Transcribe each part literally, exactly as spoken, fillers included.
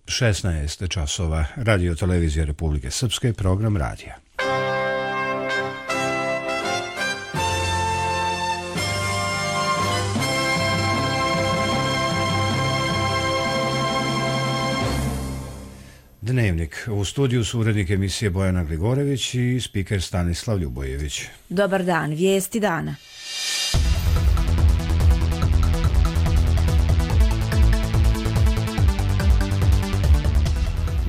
šesnaest časova, Radio televizija Republike Srpske, program radija. Dnevnik. U studiju su urednik emisije Bojana Gligorević i spiker Stanislav Ljubojević. Dobar dan, vijesti dana.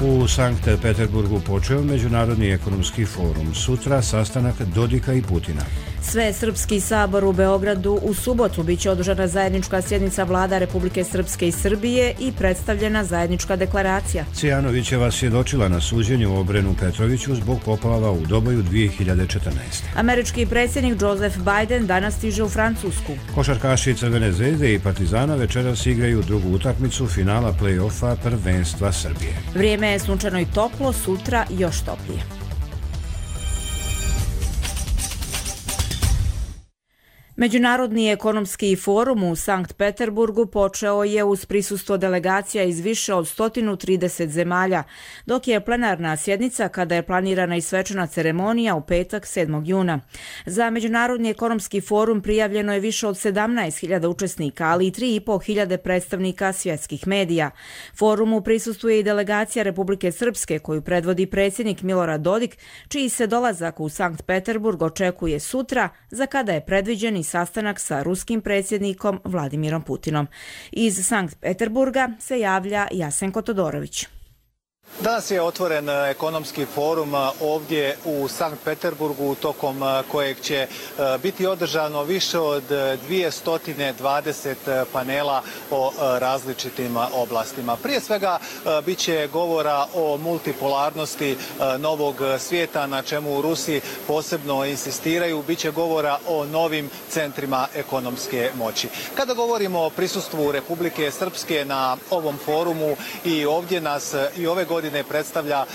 U Sankt Peterburgu počeo Međunarodni ekonomski forum. Sutra sastanak Dodika i Putina. Svesrpski sabor u Beogradu u subotu biće održana zajednička sjednica vlada Republike Srpske i Srbije i predstavljena zajednička deklaracija. Cijanovićeva svjedočila na suđenju u Obrenu Petroviću zbog poplava u Doboju dvije hiljade četrnaeste. Američki predsjednik Joseph Biden danas stiže u Francusku. Košarkaši Crvene zvezde i Partizana večeras igraju drugu utakmicu finala play-offa prvenstva Srbije. Vrijeme je sunčano i toplo, sutra još toplije. Međunarodni ekonomski forum u Sankt Peterburgu počeo je uz prisustvo delegacija iz više od sto trideset zemalja, dok je plenarna sjednica kada je planirana i svečana ceremonija u petak sedmog juna. Za Međunarodni ekonomski forum prijavljeno je više od sedamnaest hiljada učesnika, ali i tri i po hiljade predstavnika svjetskih medija. Forumu prisustvuje i delegacija Republike Srpske koju predvodi predsjednik Milorad Dodik, čiji se dolazak u Sankt Peterburg očekuje sutra, za kada je predviđen i sastanak sa ruskim predsjednikom Vladimirom Putinom. Iz Sankt Peterburga se javlja Jasenko Todorović. Danas je otvoren ekonomski forum ovdje u Sankt Peterburgu, tokom kojeg će biti održano više od dvjesto dvadeset panela o različitim oblastima. Prije svega bit će govora o multipolarnosti novog svijeta, na čemu u Rusiji posebno insistiraju. Biće govora o novim centrima ekonomske moći. Kada govorimo o prisustvu Republike Srpske na ovom forumu, i ovdje nas i ove godine godine predstavlja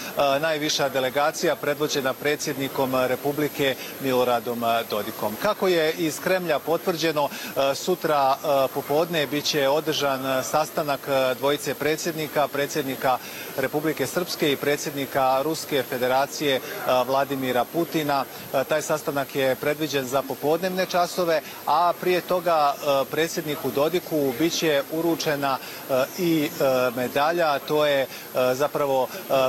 najviša delegacija predvođena predsjednikom Republike Miloradom Dodikom. Kako je iz Kremlja potvrđeno, sutra popodne biće održan sastanak dvojice predsjednika, predsjednika Republike Srpske i predsjednika Ruske federacije Vladimira Putina. Taj sastanak je predviđen za popodnevne časove, a prije toga predsjedniku Dodiku biće uručena i medalja, to je zapravo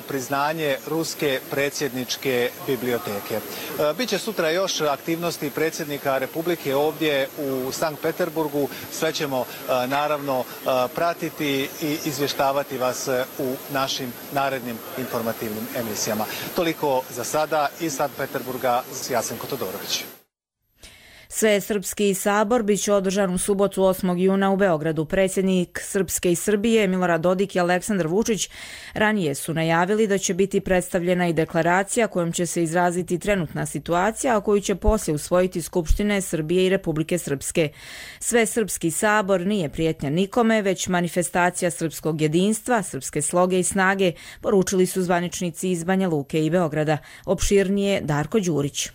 priznanje Ruske predsjedničke biblioteke. Biće sutra još aktivnosti predsjednika Republike ovdje u Sankt Peterburgu. Sve ćemo naravno pratiti i izvještavati vas u našim narednim informativnim emisijama. Toliko za sada iz Sankt Peterburga, Jasenko Todorović. Svesrpski sabor biće održan u subotu osmog juna u Beogradu. Predsjednik Srpske i Srbije Milorad Dodik i Aleksandar Vučić ranije su najavili da će biti predstavljena i deklaracija kojom će se izraziti trenutna situacija, a koju će poslije usvojiti Skupštine Srbije i Republike Srpske. Svesrpski sabor nije prijetnja nikome, već manifestacija srpskog jedinstva, srpske sloge i snage, poručili su zvaničnici iz Banja Luke i Beograda. Opširnije Darko Đurić.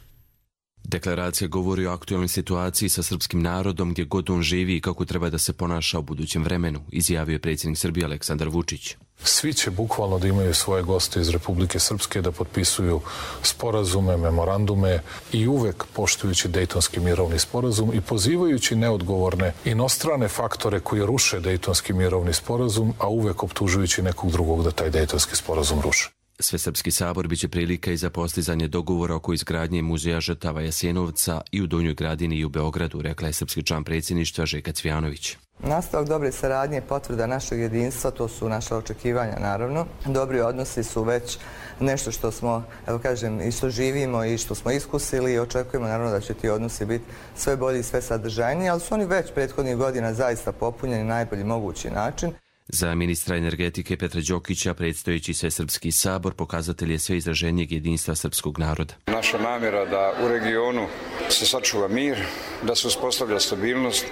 Deklaracija govori o aktualnoj situaciji sa srpskim narodom gdje god on živi i kako treba da se ponaša u budućem vremenu, izjavio je predsjednik Srbije Aleksandar Vučić. Svi će bukvalno da imaju svoje goste iz Republike Srpske, da potpisuju sporazume, memorandume i uvek poštujući Dejtonski mirovni sporazum i pozivajući neodgovorne inostrane faktore koji ruše Dejtonski mirovni sporazum, a uvek optužujući nekog drugog da taj Dejtonski sporazum ruše. Svesrpski sabor biće prilika i za postizanje dogovora oko izgradnje muzeja žrtava Jasenovca i u Donjoj Gradini i u Beogradu, rekla je srpski član predsjedništva Željka Cvijanović. Nastavak dobre saradnje, potvrda našeg jedinstva, to su naša očekivanja naravno. Dobri odnosi su već nešto što smo, evo kažem, i što živimo i što smo iskusili i očekujemo naravno da će ti odnosi biti sve bolji i sve sadržajniji, ali su oni već prethodnih godina zaista popunjeni na najbolji mogući način. Za ministra energetike Petra Đokića predstojeći Svesrpski sabor pokazatelj je sve izraženijeg jedinstva srpskog naroda. Naša namjera da u regionu se sačuva mir, da se uspostavlja stabilnost,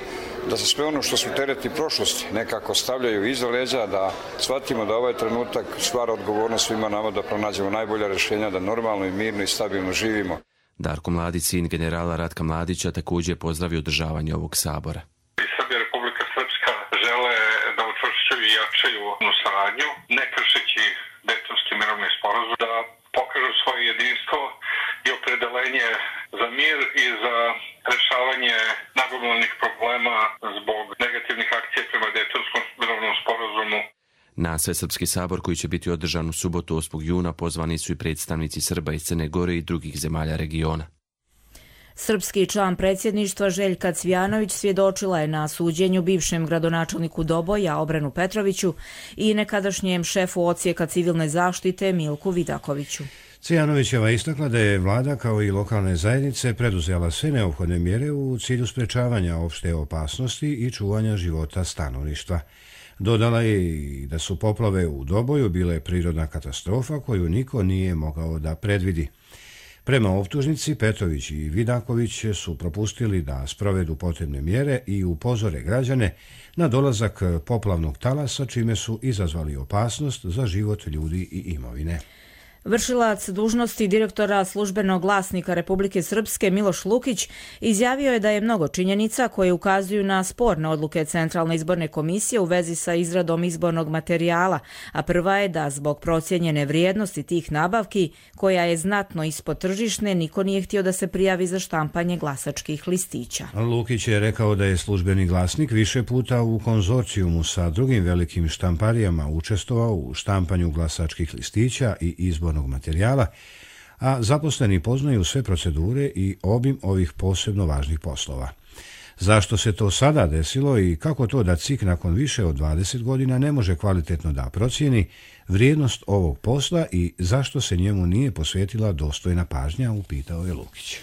da se sve ono što su tereti prošlosti nekako stavljaju iza leđa, da shvatimo da ovaj trenutak stvara odgovornost svima nama da pronađemo najbolja rješenja, da normalno i mirno i stabilno živimo. Darko Mladić, sin generala Ratka Mladića, također je pozdravio održavanje ovog sabora. Srbija i Republika Srpska žele da u učvršćuju i jačaju saradnju, ne kršeći Dejtonski mirovni sporazum, da pokažu svoje jedinstvo i opredelenje za mir i za rešavanje nagomilanih problema zbog negativnih akcija prema Dejtonskom mirovnom sporazumu. Na Svesrpski sabor koji će biti održan u subotu osmog juna pozvani su i predstavnici Srba iz Crne Gore i drugih zemalja regiona. Srpski član predsjedništva Željka Cvijanović svjedočila je na suđenju bivšem gradonačelniku Doboja Obrenu Petroviću i nekadašnjem šefu odsjeka civilne zaštite Milku Vidakoviću. Cvijanovićeva istakla da je vlada kao i lokalne zajednice preduzela sve neophodne mjere u cilju sprečavanja opšte opasnosti i čuvanja života stanovništva. Dodala je i da su poplave u Doboju bile prirodna katastrofa koju niko nije mogao da predvidi. Prema optužnici, Petrović i Vidaković su propustili da sprovedu potrebne mjere i upozore građane na dolazak poplavnog talasa, čime su izazvali opasnost za život ljudi i imovine. Vršilac dužnosti direktora službenog glasnika Republike Srpske Miloš Lukić izjavio je da je mnogo činjenica koje ukazuju na sporne odluke Centralne izborne komisije u vezi sa izradom izbornog materijala, a prva je da zbog procijenjene vrijednosti tih nabavki, koja je znatno ispod tržišne, niko nije htio da se prijavi za štampanje glasačkih listića. Lukić je rekao da je službeni glasnik više puta u konzorcijumu sa drugim velikim štamparijama učestvovao u štampanju glasačkih listića i izbornog materijala, a zaposleni poznaju sve procedure i obim ovih posebno važnih poslova. Zašto se to sada desilo i kako to da C I K nakon više od dvadeset godina ne može kvalitetno da procijeni vrijednost ovog posla i zašto se njemu nije posvetila dostojna pažnja, upitao je Lukić.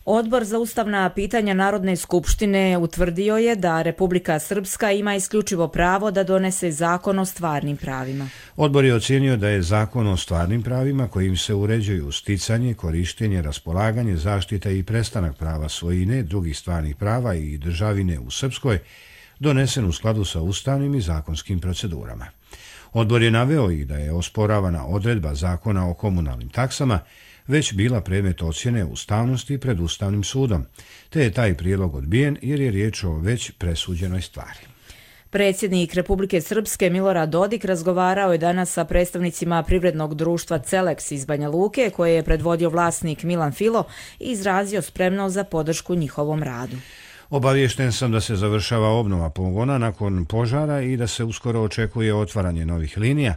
Odbor za ustavna pitanja Narodne skupštine utvrdio je da Republika Srpska ima isključivo pravo da donese zakon o stvarnim pravima. Odbor je ocijenio da je zakon o stvarnim pravima kojim se uređuju sticanje, korištenje, raspolaganje, zaštita i prestanak prava svojine, drugih stvarnih prava i državine u Srpskoj donesen u skladu sa ustavnim i zakonskim procedurama. Odbor je naveo i da je osporavana odredba zakona o komunalnim taksama već bila predmet ocjene ustavnosti pred Ustavnim sudom, te je taj prijedlog odbijen jer je riječ o već presuđenoj stvari. Predsjednik Republike Srpske Milorad Dodik razgovarao je danas sa predstavnicima privrednog društva Celeks iz Banja Luke, koje je predvodio vlasnik Milan Filo i izrazio spremnost za podršku njihovom radu. Obaviješten sam da se završava obnova pogona nakon požara i da se uskoro očekuje otvaranje novih linija,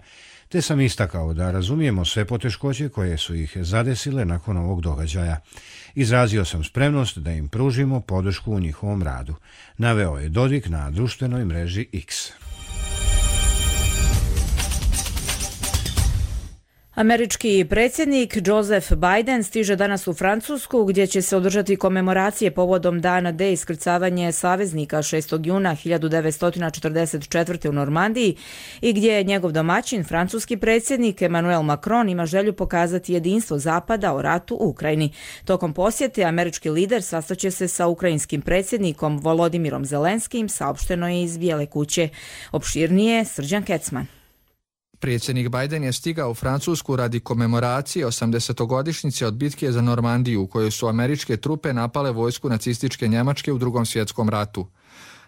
te sam istakao da razumijemo sve poteškoće koje su ih zadesile nakon ovog događaja. Izrazio sam spremnost da im pružimo podršku u njihovom radu, naveo je Dodik na društvenoj mreži X. Američki predsjednik Joseph Biden stiže danas u Francusku, gdje će se održati komemoracije povodom dana D iskrcavanje saveznika šestog juna hiljadu devetsto četrdeset četvrte. u Normandiji i gdje je njegov domaćin, francuski predsjednik Emmanuel Macron, ima želju pokazati jedinstvo Zapada o ratu u Ukrajini. Tokom posjete američki lider sastaće se sa ukrajinskim predsjednikom Volodimirom Zelenskim, saopšteno je iz Bijele kuće. Opširnije Srđan Kecman. Predsjednik Biden je stigao u Francusku radi komemoracije osamdesetogodišnjice od bitke za Normandiju, u kojoj su američke trupe napale vojsku nacističke Njemačke u Drugom svjetskom ratu.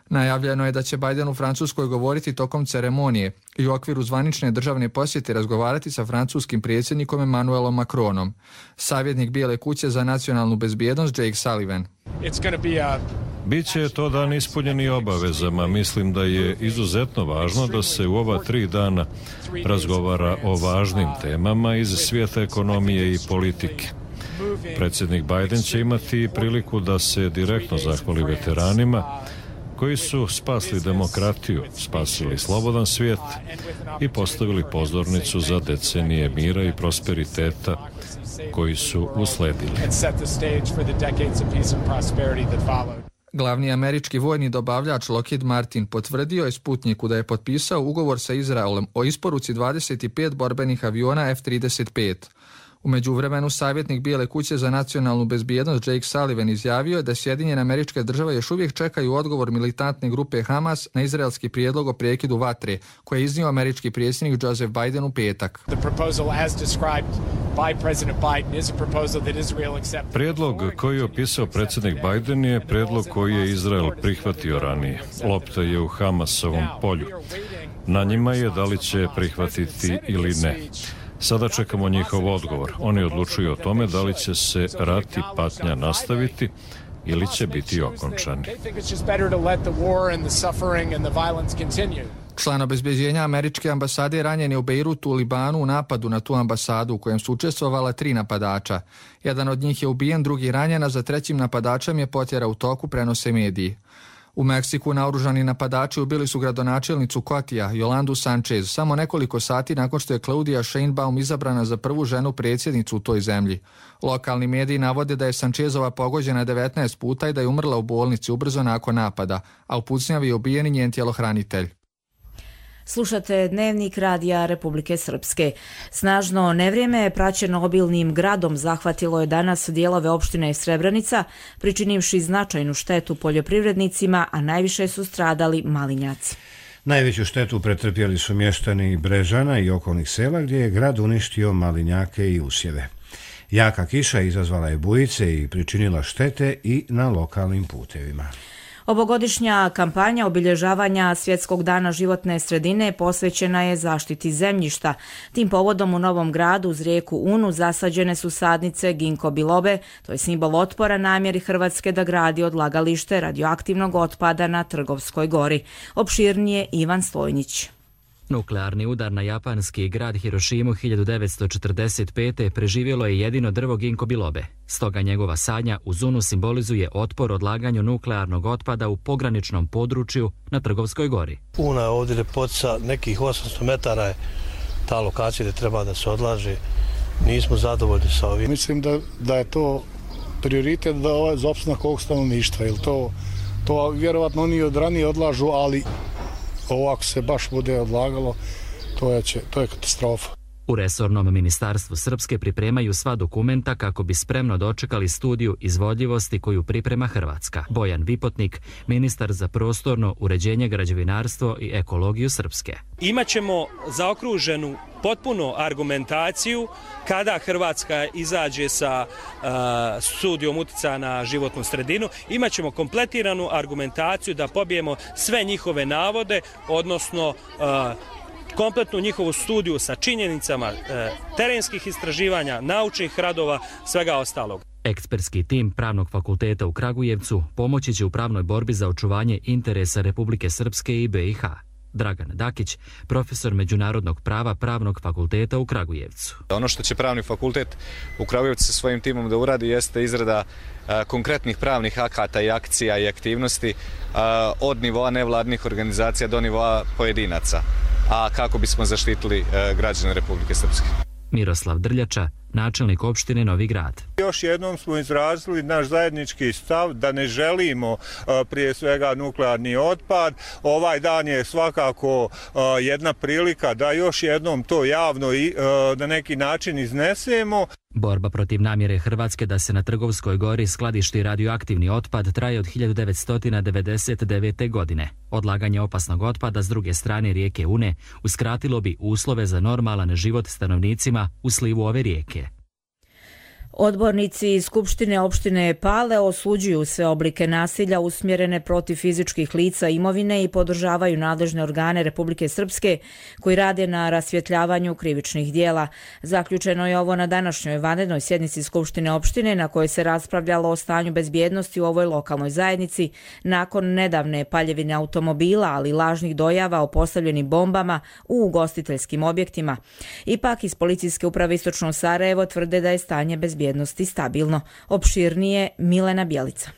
Najavljeno je da će Biden u Francuskoj govoriti tokom ceremonije i u okviru zvanične državne posjete razgovarati sa francuskim predsjednikom Emmanuelom Macronom. Savjetnik Bijele kuće za nacionalnu bezbjednost Jake Sullivan. Biće to dan ispunjeni obavezama. Mislim da je izuzetno važno da se u ova tri dana razgovara o važnim temama iz svijeta ekonomije i politike. Predsjednik Biden će imati priliku da se direktno zahvali veteranima koji su spasli demokratiju, spasili slobodan svijet i postavili pozornicu za decenije mira i prosperiteta koji su usledili. Glavni američki vojni dobavljač Lockheed Martin potvrdio je Sputniku da je potpisao ugovor sa Izraelom o isporuci dvadeset pet borbenih aviona F trideset pet. U međuvremenu savjetnik Bijele kuće za nacionalnu bezbjednost Jake Sullivan izjavio je da Sjedinjene Američke Države još uvijek čekaju odgovor militantne grupe Hamas na izraelski prijedlog o prekidu vatre, koje je iznio američki predsjednik Joseph Biden u petak. Prijedlog koji je opisao predsjednik Biden je prijedlog koji je Izrael prihvatio ranije. Lopta je u Hamasovom polju. Na njima je da li će prihvatiti ili ne. Sada čekamo njihov odgovor. Oni odlučuju o tome da li će se rat i patnja nastaviti ili će biti okončani. Član obezbeđenja američke ambasade ranjen je u Bejrutu u Libanu u napadu na tu ambasadu u kojem su učestvovala tri napadača. Jedan od njih je ubijen, drugi ranjen, a za trećim napadačem je potjera u toku, prenose mediji. U Meksiku naoružani napadači ubili su gradonačelnicu Kotija, Yolandu Sanchez, samo nekoliko sati nakon što je Claudia Sheinbaum izabrana za prvu ženu predsjednicu u toj zemlji. Lokalni mediji navode da je Sanchezova pogođena devetnaest puta i da je umrla u bolnici ubrzo nakon napada, a u pucnjavi je ubijen i njen tjelohranitelj. Slušate Dnevnik radija Republike Srpske. Snažno nevrijeme praćeno obilnim gradom zahvatilo je danas dijelove opštine Srebrenica, pričinivši značajnu štetu poljoprivrednicima, a najviše su stradali malinjaci. Najveću štetu pretrpjeli su mještani Brežana i okolnih sela, gdje je grad uništio malinjake i usjeve. Jaka kiša izazvala je bujice i pričinila štete i na lokalnim putevima. Ovogodišnja kampanja obilježavanja Svjetskog dana životne sredine posvećena je zaštiti zemljišta. Tim povodom u Novom Gradu uz rijeku Unu zasađene su sadnice ginko bilobe, to je simbol otpora namjeri Hrvatske da gradi odlagalište radioaktivnog otpada na Trgovskoj gori. Opširnije Ivan Stojnić. Nuklearni udar na japanski grad Hirošimu hiljadu devetsto četrdeset pete preživjelo je jedino drvo ginko bilobe. Stoga njegova sadnja uz Unu simbolizuje otpor odlaganju nuklearnog otpada u pograničnom području na Trgovskoj gori. Una je ovdje ljepotica, nekih osamsto metara je ta lokacija gdje treba da se odlaže. Nismo zadovoljni sa ovim. Mislim da, da je to prioritet da ovaj za opstanak ovog stanovništva, jer to, to vjerovatno oni od ranije odlažu, ali ovako se baš bude odlagalo, to je, će, to je katastrofa. U resornom ministarstvu Srpske pripremaju sva dokumenta kako bi spremno dočekali studiju izvodljivosti koju priprema Hrvatska. Bojan Vipotnik, ministar za prostorno uređenje, građevinarstvo i ekologiju Srpske. Imaćemo zaokruženu potpuno argumentaciju kada Hrvatska izađe sa uh, studijom utjecaja na životnu sredinu. Imaćemo kompletiranu argumentaciju da pobijemo sve njihove navode, odnosno uh, kompletnu njihovu studiju sa činjenicama e, terenskih istraživanja, naučnih radova, svega ostalog. Ekspertski tim Pravnog fakulteta u Kragujevcu pomoći će u pravnoj borbi za očuvanje interesa Republike Srpske i be i ha. Dragan Dakić, profesor međunarodnog prava Pravnog fakulteta u Kragujevcu. Ono što će Pravni fakultet u Kragujevcu sa svojim timom da uradi jeste izrada a, konkretnih pravnih akata i akcija i aktivnosti a, od nivoa nevladnih organizacija do nivoa pojedinaca, a kako bismo zaštitili a, građane Republike Srpske. Miroslav Drljača, načelnik opštine Novi Grad. Još jednom smo izrazili naš zajednički stav da ne želimo prije svega nuklearni otpad. Ovaj dan je svakako jedna prilika da još jednom to javno i na neki način iznesemo. Borba protiv namjere Hrvatske da se na Trgovskoj gori skladišti radioaktivni otpad traje od hiljadu devetsto devedeset devete. godine. Odlaganje opasnog otpada s druge strane rijeke Une uskratilo bi uslove za normalan život stanovnicima u slivu ove rijeke. Odbornici iz Skupštine opštine Pale osuđuju sve oblike nasilja usmjerene protiv fizičkih lica imovine i podržavaju nadležne organe Republike Srpske koji rade na rasvjetljavanju krivičnih dijela. Zaključeno je ovo na današnjoj vanrednoj sjednici Skupštine opštine na kojoj se raspravljalo o stanju bezbjednosti u ovoj lokalnoj zajednici nakon nedavne paljevine automobila, ali lažnih dojava o postavljenim bombama u ugostiteljskim objektima. Ipak iz Policijske uprave Istočno Sarajevo tvrde da je stanje bezbjednosti stabilno. Opširnije Milena Bjelica.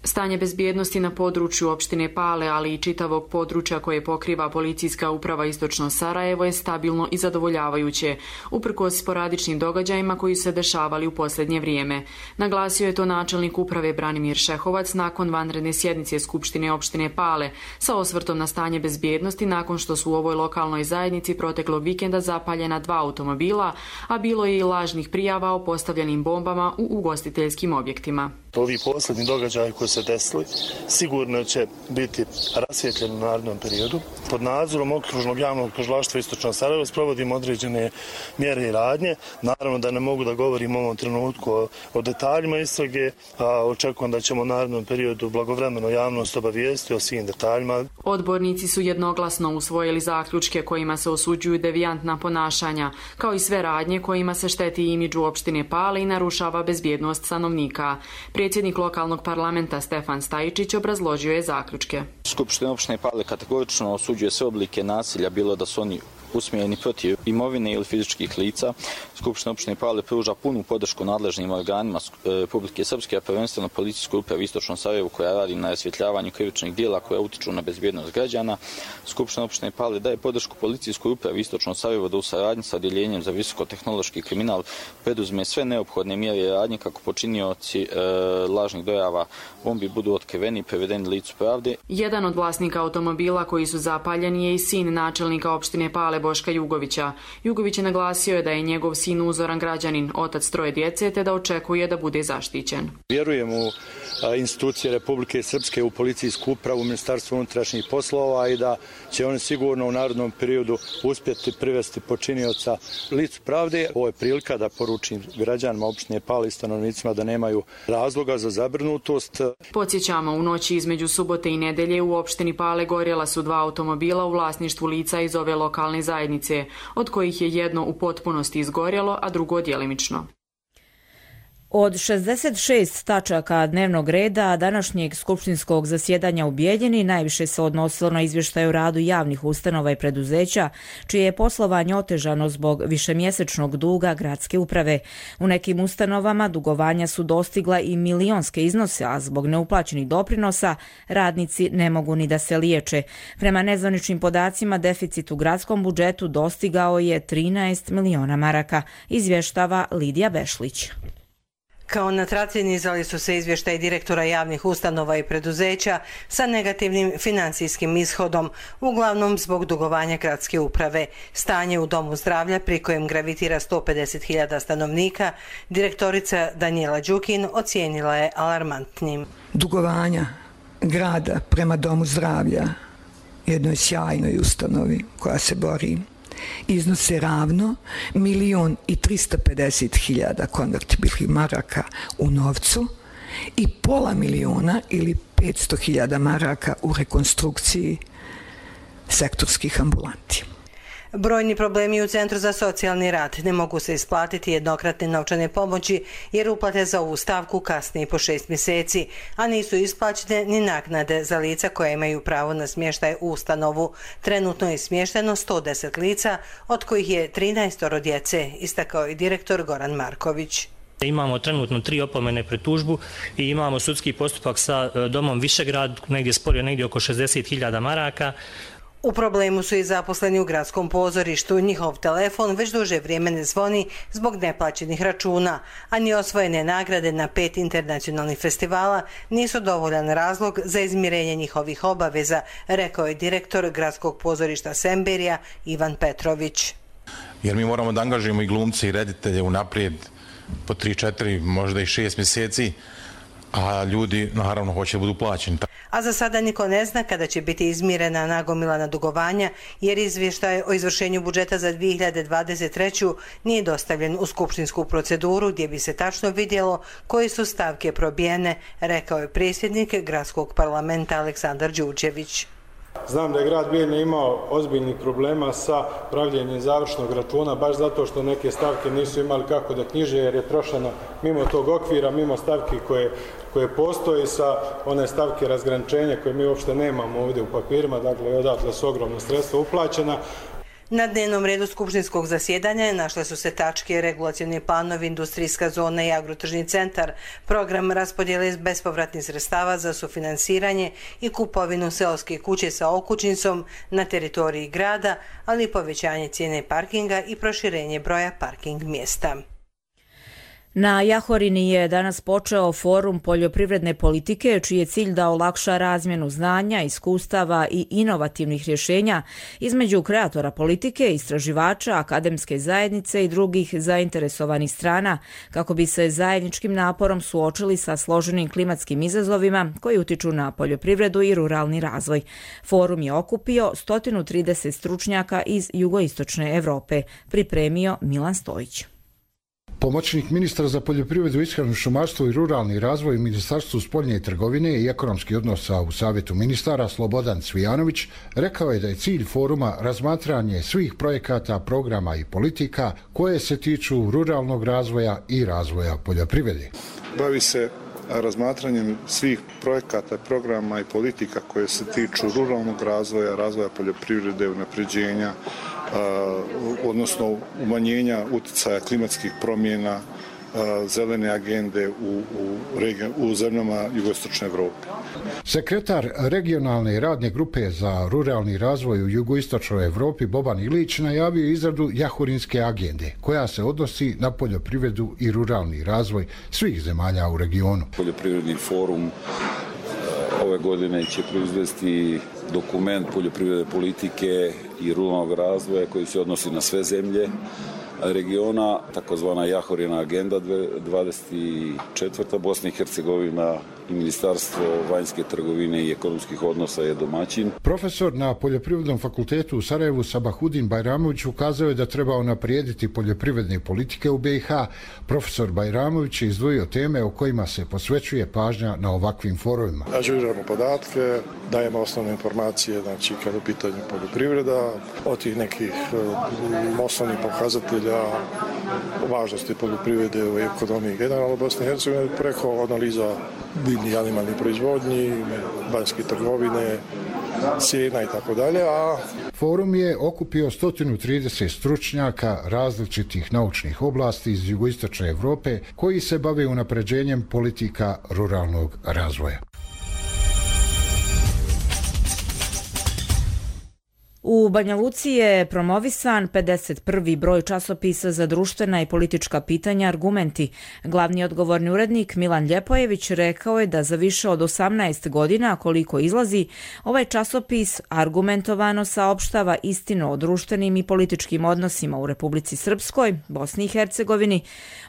Stanje bezbjednosti na području opštine Pale, ali i čitavog područja koje pokriva policijska uprava Istočno Sarajevo je stabilno i zadovoljavajuće, uprkos sporadičnim događajima koji su se dešavali u posljednje vrijeme. Naglasio je to načelnik uprave Branimir Šehovac nakon vanredne sjednice Skupštine opštine Pale sa osvrtom na stanje bezbjednosti nakon što su u ovoj lokalnoj zajednici proteklog vikenda zapaljena dva automobila, a bilo je i lažnih prijava o postavljenim bombama u ugostiteljskim objektima. Ovi posljednji događaji koji se desili sigurno će biti rasvjetljeni u narednom periodu. Pod nadzorom okružnog javnog tužilaštva Istočno Sarajevo sprovodimo određene mjere i radnje. Naravno da ne mogu da govorim u ovom trenutku o, o detaljima istrage, a očekujem da ćemo u narednom periodu blagovremeno javnost obavijestiti o svim detaljima. Odbornici su jednoglasno usvojili zaključke kojima se osuđuju devijantna ponašanja, kao i sve radnje kojima se šteti imidžu opštine Pale i narušava bezbjednost stanovnika. Predsjednik lokalnog parlamenta Stefan Stajičić obrazložio je zaključke. Skupština opštine Pale kategorično osuđuje sve oblike nasilja, bilo da su oni usmjereni protiv imovine ili fizičkih lica. Skupština opštine Pale pruža punu podršku nadležnim organima Republike Srpske, a prvenstveno policijskoj upravi Istočno Sarajevo koja radi na rasvjetljavanju krivičnih djela koja utiču na bezbjednost građana. Skupština opštine Pale daje podršku policijskoj upravi Istočno Sarajevo da u saradnji sa odjeljenjem za visokotehnološki kriminal preduzme sve neophodne mjere i radnje kako počinioci e, lažnih dojava bombi budu otkriveni i prevedeni licu pravde. Jedan od vlasnika automobila koji su zapaljeni je i sin načelnika opštine Pale Boška Jugovića. Jugović je naglasio da je njegov sin uzoran građanin, otac troje djece, te da očekuje da bude zaštićen. Vjerujem u institucije Republike Srpske, u policijsku upravu, u Ministarstvo unutrašnjih poslova i da će oni sigurno u narednom periodu uspjeti privesti počinioca licu pravde. Ovo je prilika da poručim građanima opštine Pale i stanovnicima da nemaju razloga za zabrinutost. Podsjećamo, u noći između subote i nedelje u opštini Pale gorjela su dva automobila u vlasništvu lica iz ove lokalne zajednice, od kojih je jedno u potpunosti izgorjelo, a drugo djelimično. Od šezdeset šest tačaka dnevnog reda današnjeg skupštinskog zasjedanja u Bijeljini najviše se odnosilo na izvještaj o radu javnih ustanova i preduzeća, čije je poslovanje otežano zbog višemjesečnog duga gradske uprave. U nekim ustanovama dugovanja su dostigla i milionske iznose, a zbog neuplaćenih doprinosa radnici ne mogu ni da se liječe. Prema nezvaničnim podacima, deficit u gradskom budžetu dostigao je trinaest miliona maraka, izvještava Lidija Bešlić. Kao na traci nizali su se izvještaj direktora javnih ustanova i preduzeća sa negativnim financijskim ishodom, uglavnom zbog dugovanja gradske uprave. Stanje u domu zdravlja, pri kojem gravitira sto pedeset hiljada stanovnika, direktorica Danijela Đukin ocijenila je alarmantnim. Dugovanja grada prema domu zdravlja, jednoj sjajnoj ustanovi koja se bori, iznose ravno milion i trista pedeset hiljada konvertibilnih maraka u novcu i pola miliona ili petsto hiljada maraka u rekonstrukciji sektorskih ambulanti. Brojni problemi u Centru za socijalni rad, ne mogu se isplatiti jednokratne novčane pomoći jer uplate za ovu stavku kasne i po šest mjeseci, a nisu isplaćene ni naknade za lica koja imaju pravo na smještaj u ustanovu. Trenutno je smješteno sto deset lica, od kojih je trinaest djece, istakao i direktor Goran Marković. Imamo trenutno tri opomene pred tužbu i imamo sudski postupak sa domom Višegrad, negdje sporio negdje oko šezdeset hiljada maraka. U problemu su i zaposleni u gradskom pozorištu. Njihov telefon već duže vrijeme ne zvoni zbog neplaćenih računa, a ni osvojene nagrade na pet internacionalnih festivala nisu dovoljan razlog za izmirenje njihovih obaveza, rekao je direktor gradskog pozorišta Semberija Ivan Petrović. Jer mi moramo da angažujemo i glumce i reditelje unaprijed po tri, četiri, možda i šest mjeseci, a ljudi naravno hoće da budu plaćeni. A za sada niko ne zna kada će biti izmirena nagomilana dugovanja, jer izvještaj o izvršenju budžeta za dvije hiljade dvadeset treću. nije dostavljen u skupštinsku proceduru gdje bi se tačno vidjelo koje su stavke probijene, rekao je predsjednik gradskog parlamenta Aleksandar Đurđević. Znam da je grad Bijeljina imao ozbiljnih problema sa pravljenjem završnog računa, baš zato što neke stavke nisu imali kako da knjiže, jer je trošeno mimo tog okvira, mimo stavki koje, koje postoji, sa one stavke razgraničenja koje mi uopšte nemamo ovdje u papirima, dakle odatle su ogromna sredstva uplaćena. Na dnevnom redu skupštinskog zasjedanja našle su se tačke regulacioni planovi, industrijska zona i agrotržni centar, program raspodjele bespovratnih sredstava za sufinansiranje i kupovinu seoske kuće sa okućnicom na teritoriji grada, ali i povećanje cijene parkinga i proširenje broja parking mjesta. Na Jahorini je danas počeo forum poljoprivredne politike, čiji je cilj da olakša razmjenu znanja, iskustava i inovativnih rješenja između kreatora politike, istraživača, akademske zajednice i drugih zainteresovanih strana, kako bi se zajedničkim naporom suočili sa složenim klimatskim izazovima koji utiču na poljoprivredu i ruralni razvoj. Forum je okupio sto trideset stručnjaka iz jugoistočne Evrope, pripremio Milan Stojić. Pomoćnik ministra za poljoprivredu, ishranu, šumarstvo i ruralni razvoj u Ministarstvu spoljne trgovine i ekonomskih odnosa u Savjetu ministara Slobodan Cvijanović rekao je da je cilj foruma razmatranje svih projekata, programa i politika koje se tiču ruralnog razvoja i razvoja poljoprivrede. Bavi se razmatranjem svih projekata, programa i politika koje se tiču ruralnog razvoja, razvoja poljoprivrede, unapređenja, odnosno umanjenja uticaja klimatskih promjena, zelene agende u, u, regij, u zemljama jugoistočne Evrope. Sekretar regionalne radne grupe za ruralni razvoj u jugoistočnoj Evropi Boban Ilić najavio izradu Jahorinske agende, koja se odnosi na poljoprivredu i ruralni razvoj svih zemalja u regionu. Poljoprivredni forum ove godine će proizvesti dokument poljoprivredne politike i ruralnog razvoja koji se odnosi na sve zemlje regiona, takozvana Jahorina agenda dvadeset četvrta. Bosna i Hercegovina i Ministarstvo vanjske trgovine i ekonomskih odnosa je domaćin. Profesor na Poljoprivrednom fakultetu u Sarajevu Sabahudin Bajramović ukazao je da treba unaprijediti poljoprivredne politike u B i H. Profesor Bajramović je izdvojio teme o kojima se posvećuje pažnja na ovakvim forumima. Ažuriramo podatke, dajemo osnovne informacije, znači kada u pitanju poljoprivreda, od tih nekih um, osnovnih pokazatelja važnosti poljoprivrede u ekonomiji generalno Bosne i Hercegovine, preko analiza biljni i animalni proizvodnji, vanjske trgovine, cijena i tako dalje. A forum je okupio sto trideset stručnjaka različitih naučnih oblasti iz jugoistočne Evrope koji se bave unapređenjem politika ruralnog razvoja. U Banja Luci je promovisan pedeset prvi broj časopisa za društvena i politička pitanja Argumenti. Glavni odgovorni urednik Milan Ljepojević rekao je da za više od osamnaest godina koliko izlazi, ovaj časopis argumentovano saopštava istinu o društvenim i političkim odnosima u Republici Srpskoj, Bosni i Hercegovini,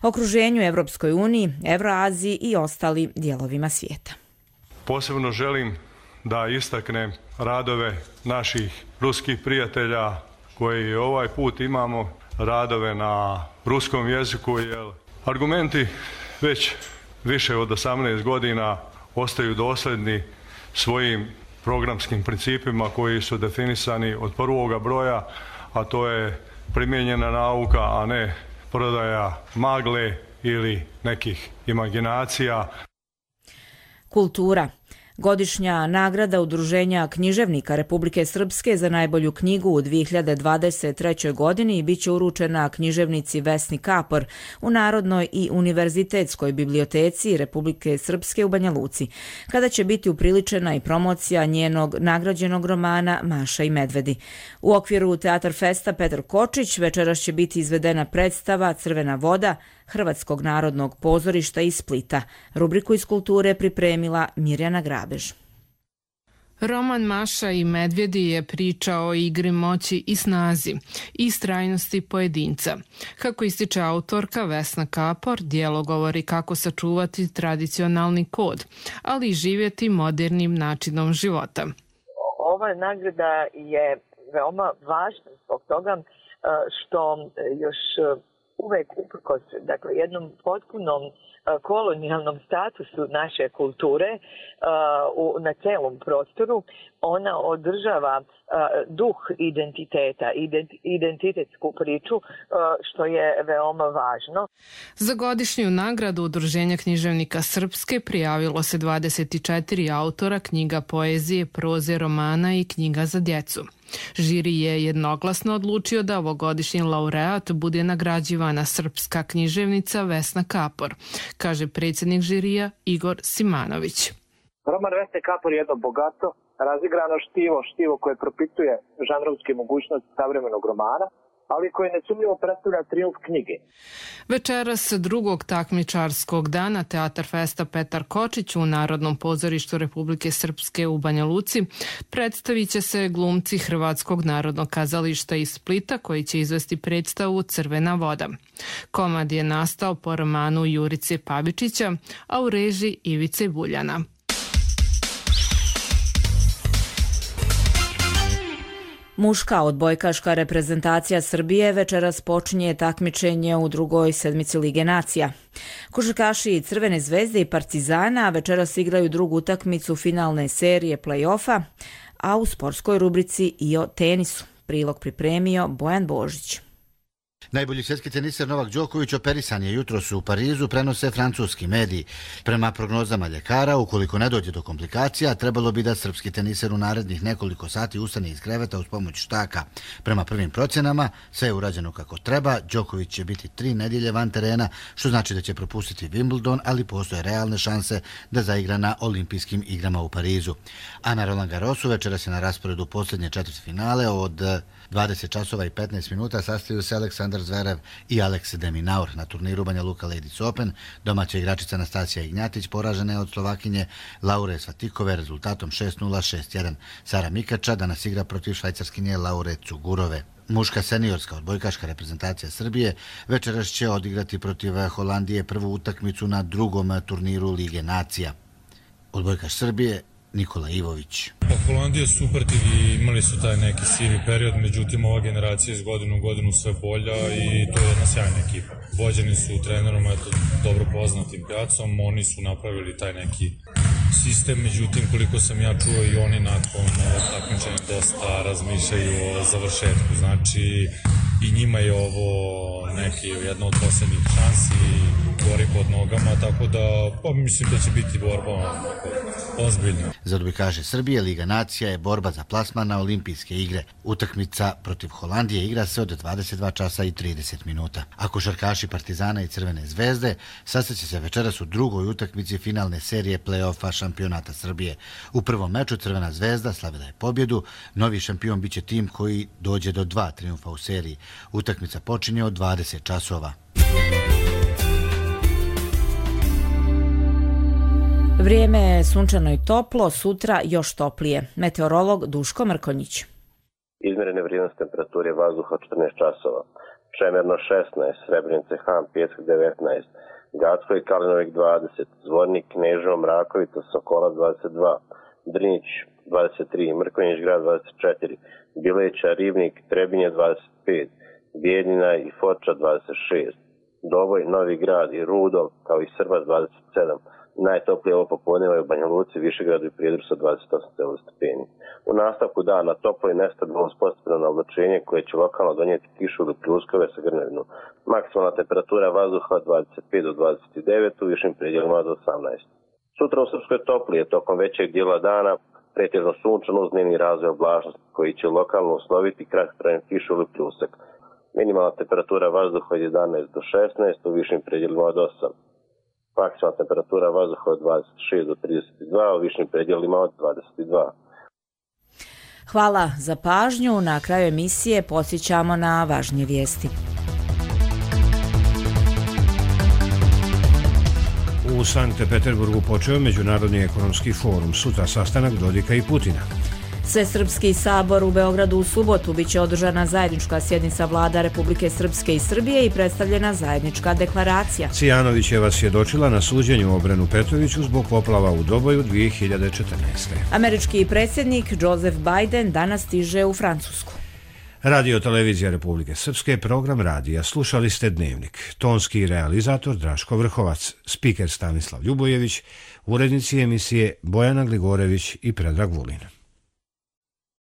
okruženju Evropskoj uniji, Evroaziji i ostalim dijelovima svijeta. Posebno želim da istaknem radove naših ruskih prijatelja koji ovaj put imamo, radove na ruskom jeziku, jer Argumenti već više od osamnaest godina ostaju dosljedni svojim programskim principima koji su definisani od prvoga broja, a to je primijenjena nauka, a ne prodaja magle ili nekih imaginacija. Kultura. Godišnja nagrada Udruženja književnika Republike Srpske za najbolju knjigu u dvije hiljade dvadeset trećoj godini biće uručena književnici Vesni Kapor u Narodnoj i univerzitetskoj biblioteci Republike Srpske u Banja Luci, kada će biti upriličena i promocija njenog nagrađenog romana Maša i medvedi. U okviru Teatar Festa Petar Kočić večeras će biti izvedena predstava Crvena voda Hrvatskog narodnog pozorišta iz Splita. Rubriku iz kulture pripremila Mirjana Grabež. Roman Maša i medvjedi je priča o igri moći i snazi i istrajnosti pojedinca. Kako ističe autorka Vesna Kapor, djelo govori kako sačuvati tradicionalni kod, ali i živjeti modernim načinom života. Ova nagrada je veoma važna zbog toga što još uvek uprkos, dakle, jednom potpunom kolonijalnom statusu naše kulture uh, u, na celom prostoru, ona održava uh, duh identiteta, ident, identitetsku priču, uh, što je veoma važno. Za godišnju nagradu Udruženja književnika Srpske prijavilo se dvadeset četiri autora knjiga poezije, proze, romana i knjiga za djecu. Žiri je jednoglasno odlučio da ovogodišnji laureat bude nagrađivana srpska književnica Vesna Kapor, kaže predsjednik žirija Igor Simanović. Roman Vesne Kapor je jedno bogato, razigrano štivo, štivo koje propituje žanrovske mogućnosti savremenog romana, ali koje nesumnjivo predstavlja trijumf knjige. Večeras drugog takmičarskog dana Teatar Festa Petar Kočić u Narodnom pozorištu Republike Srpske u Banja Luci predstavit će se glumci Hrvatskog narodnog kazališta iz Splita koji će izvesti predstavu Crvena voda. Komad je nastao po romanu Jurice Pavičića, a u režiji Ivice Buljana. Muška odbojkaška reprezentacija Srbije večeras počinje takmičenje u drugoj sedmici Lige nacija. Košarkaši Crvene zvezde i Partizana večeras igraju drugu utakmicu finalne serije play-offa, a u sportskoj rubrici i o tenisu. Prilog pripremio Bojan Božić. Najbolji svjetski teniser Novak Đoković operisan je jutros u Parizu, prenose francuski mediji. Prema prognozama ljekara, ukoliko ne dođe do komplikacija, trebalo bi da srpski teniser u narednih nekoliko sati ustane iz kreveta uz pomoć štaka. Prema prvim procjenama, sve je urađeno kako treba, Đoković će biti tri nedjelje van terena, što znači da će propustiti Wimbledon, ali postoje realne šanse da zaigra na olimpijskim igrama u Parizu. A na Roland Garrosu večeras je na rasporedu posljednje četvrtfinale od dvadeset časova i petnaest minuta sastaju se Aleksandar Zverev i Alex de Minaur. Na turniru Banja Luka Ladies Open domaća igračica Nastasija Ignjatić poražena je od Slovakinje Laure Svatikove rezultatom šest nula šest jedan. Sara Mikača danas igra protiv švajcarskinje Laure Cugurove. Muška seniorska odbojkaška reprezentacija Srbije večeras će odigrati protiv Holandije prvu utakmicu na drugom turniru Lige nacija. Odbojkaš Srbije Nikola Ivović. Pa Holandija je super tim i imali su taj neki sivi period, međutim ova generacija iz godinu u godinu sve bolja i to je jedna sjajna ekipa. Vođeni su trenerom eto, dobro poznatim Pjacom, oni su napravili taj neki sistem, međutim koliko sam ja čuo i oni nakon takmičenja dosta razmišljaju o završetku, znači i njima je ovo neki jedno od posljednjih šansi, gori pod nogama, tako da pa, mislim da će biti borba ozbiljna. Za odbojkaše Srbije Liga nacija je borba za plasman na olimpijske igre. Utakmica protiv Holandije igra se od dvadeset dva časa i trideset minuta. A košarkaši Partizana i Crvene zvezde sastaće se večeras u drugoj utakmici finalne serije play-offa šampionata Srbije. U prvom meču Crvena zvezda slavila je pobjedu, novi šampion biće tim koji dođe do dva triumfa u seriji. Utakmica počinje od dvadeset časova. Vrijeme je sunčano i toplo, sutra još toplije. Meteorolog Duško Mrkonjić. Izmjerene vrijednost temperature vazduha četrnaest časova. Čemerno šesnaest, Srebrenica, Han, Pjesak devetnaest, Gacko i Kalinovik dvadeset, Zvornik, Kneževo, Mrakovica, Sokola dvadeset dva, Drnić dvadeset tri, Mrkonjić grad dvadeset četiri, Bileća, Ribnik, Trebinje dvadeset pet, Bijeljina i Foča dvadeset šest, Doboj, Novi grad i Rudol kao i Srbac dvadeset sedam. Najtoplije ovo popodneva je u Banja Luci, Višegradu i Prijedoru sa dvadeset osam stepeni. U nastavku dana toplo i nestabilno uspostavljeno oblačenje koje će lokalno donijeti kišu ili pljuskove sa grmljavinom. Maksimalna temperatura vazduha dvadeset pet do dvadeset devet, u višim predjelima do osamnaest. Sutra u Srpskoj toplije, tokom većeg dijela dana, pretežno sunčano uz dnevni razvoj oblačnosti koji će lokalno usloviti kratkotrajnu kišu ili pljusak. Minimalna temperatura vazduha od jedanaest do šesnaest, u višim predjelima od osam. Maksimalna temperatura vazduha od dvadeset šest do trideset dva, u višim predjelima od dvadeset dva. Hvala za pažnju. Na kraju emisije podsjećamo na važnije vijesti. U Sankt Peterburgu počeo Međunarodni ekonomski forum, sutra sastanak Dodika i Putina. Svesrpski sabor u Beogradu u subotu biće održana zajednička sjednica vlada Republike Srpske i Srbije i predstavljena zajednička deklaracija. Cijanović je vas svjedočila na suđenju Obrenu Petroviću zbog poplava u Doboju dvije hiljade četrnaeste. Američki predsjednik Joseph Biden danas stiže u Francusku. Radio Televizija Republike Srpske, program radija. Slušali ste Dnevnik. Tonski realizator Draško Vrhovac, spiker Stanislav Ljubojević, urednici emisije Bojana Gligorević i Predrag Vulin.